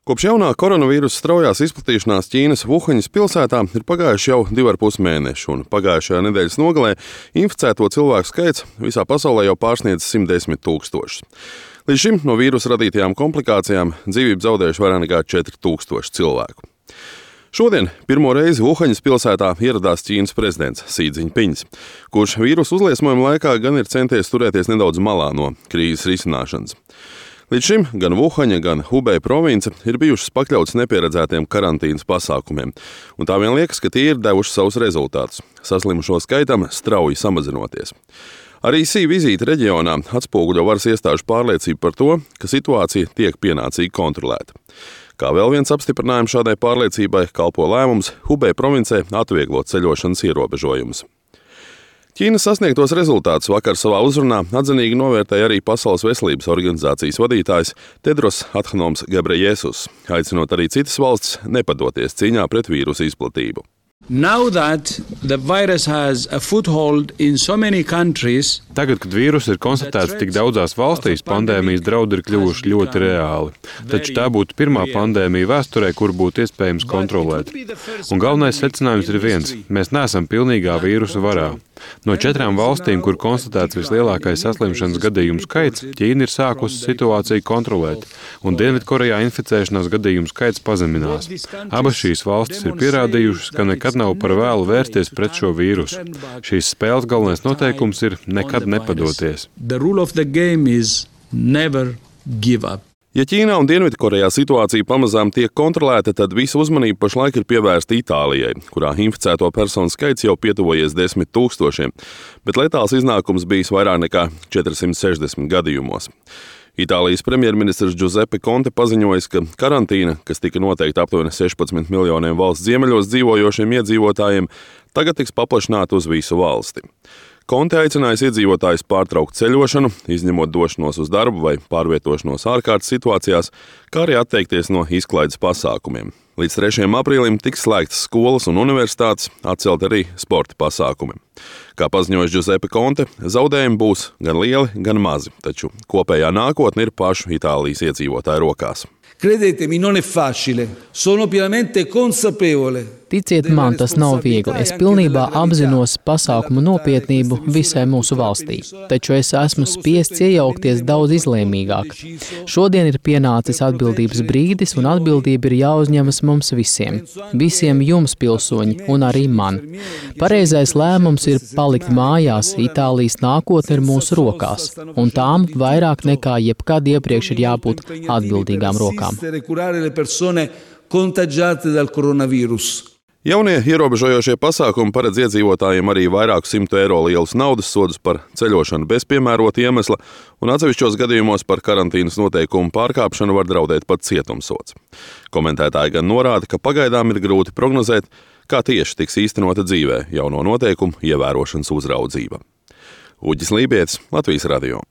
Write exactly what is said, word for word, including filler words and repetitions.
Kopš jaunā koronavīrusa straujās izplatīšanās Ķīnas Vuhaņas pilsētā ir pagājuši jau divi ar pus mēneši, un pagājušajā nedēļas nogalē inficēto cilvēku skaits visā pasaulē jau pārsniedz simt desmit tūkstošus. Līdz šim no vīrusa radītajām komplikācijām dzīvību zaudējuši vairāk nekā četri tūkstoši cilvēku. Šodien pirmo reizi Vuhaņas pilsētā ieradās Ķīnas prezidents Si Dzinpiņs, kurš vīrusu uzliesmojuma laikā gan ir centies turēties nedaudz malā no krīzes risināšanas. Līdz šim gan Vuhaņa, gan Hubei province ir bijušas pakļautas nepieredzētiem karantīnas pasākumiem, un tā vien liekas, ka tie ir devuši savus rezultātus, saslimušo skaitam strauji samazinoties. Arī Si vizīte reģionā atspoguļo varas iestāžu pārliecību par to, ka situācija tiek pienācīgi kontrolēta. Kā vēl viens apstiprinājums šādai pārliecībai kalpo lēmums Hubei provincē atvieglot ceļošanas ierobežojumus. Ķīnas sasniegtos rezultātus vakar savā uzrunā atzinīgi novērtēja arī Pasaules veselības organizācijas vadītājs Tedros Adhanoms Gebrejesus, aicinot arī citas valstis nepadoties cīņā pret vīrusu izplatību. Now that the virus has a foothold in so many countries, Tagad, kad vīruss ir konstatēts tik daudzās valstīs, pandēmijas draudi ir kļuvuši ļoti reāli. Taču tā būtu pirmā pandēmija vēsturē, kur būtu iespējams kontrolēt. Un galvenais secinājums ir viens – mēs neesam pilnīgā vīrusa varā. No četrām valstīm, kur konstatēts vislielākais saslimšanas gadījumu skaits, Ķīna ir sākusi situāciju kontrolēt, un Dienvidkorejā inficēšanās gadījumu skaits pazeminās. Abas šīs valstis ir pierādījušas, ka nekad nav par vēlu vērsties pret šo vīrusu. Šīs spēles galvenais noteikums ir nekad nepadoties. The rule of the game is never give up. Ja Ķīnā un Dienvidkorejā situācija pamazām tiek kontrolēta, tad visa uzmanība pašlaik ir pievērsta Itālijai, kurā inficēto personu skaits jau pietuvojies desmit tūkstošiem, bet letāls iznākums bijis vairāk nekā četrsimt sešdesmit gadījumos. Itālijas premjerministrs Giuseppe Conte paziņojis, ka karantīna, kas tika noteikta aptuveni sešpadsmit miljoniem valsts ziemeļos dzīvojošiem iedzīvotājiem, tagad tiks paplašināta uz visu valsti. Conte aicinājis iedzīvotājus pārtraukt ceļošanu, izņemot došanos uz darbu vai pārvietošanos ārkārtas situācijās, kā arī atteikties no izklaides pasākumiem. Līdz trešajam aprīlim tiks slēgtas skolas un universitātes, atcelt arī sporta pasākumi. Kā paziņojis Giuseppe Conte, zaudējumi būs gan lieli, gan mazi, taču kopējā nākotne ir pašu Itālijas iedzīvotāju rokās. Credetemi, non è facile. Sono pienamente consapevole. Ticiet man, tas nav viegli. Es pilnībā apzinos pasākumu nopietnību visai mūsu valstī, taču es esmu spiests iejaukties daudz izlēmīgāk. Šodien ir pienācis atbildības brīdis, un atbildība ir jāuzņemas mums visiem. Visiem jums, pilsoņi, un arī man. Pareizais lēmums ir palikt mājās, Itālijas nākotne ir mūsu rokās, un tām vairāk nekā jebkad iepriekš ir jābūt atbildīgām rokām. Jaunie ierobežojošie pasākumi paredz iedzīvotājiem arī vairāku simtu eiro lielus naudas sodus par ceļošanu bez piemērota iemesla, un atsevišķos gadījumos par karantīnas noteikumu pārkāpšanu var draudēt pat cietumsods. Komentētāji gan norāda, ka pagaidām ir grūti prognozēt, kā tieši tiks īstenota dzīvē jauno noteikumu ievērošanas uzraudzība. Uģis Lībietis, Latvijas radio.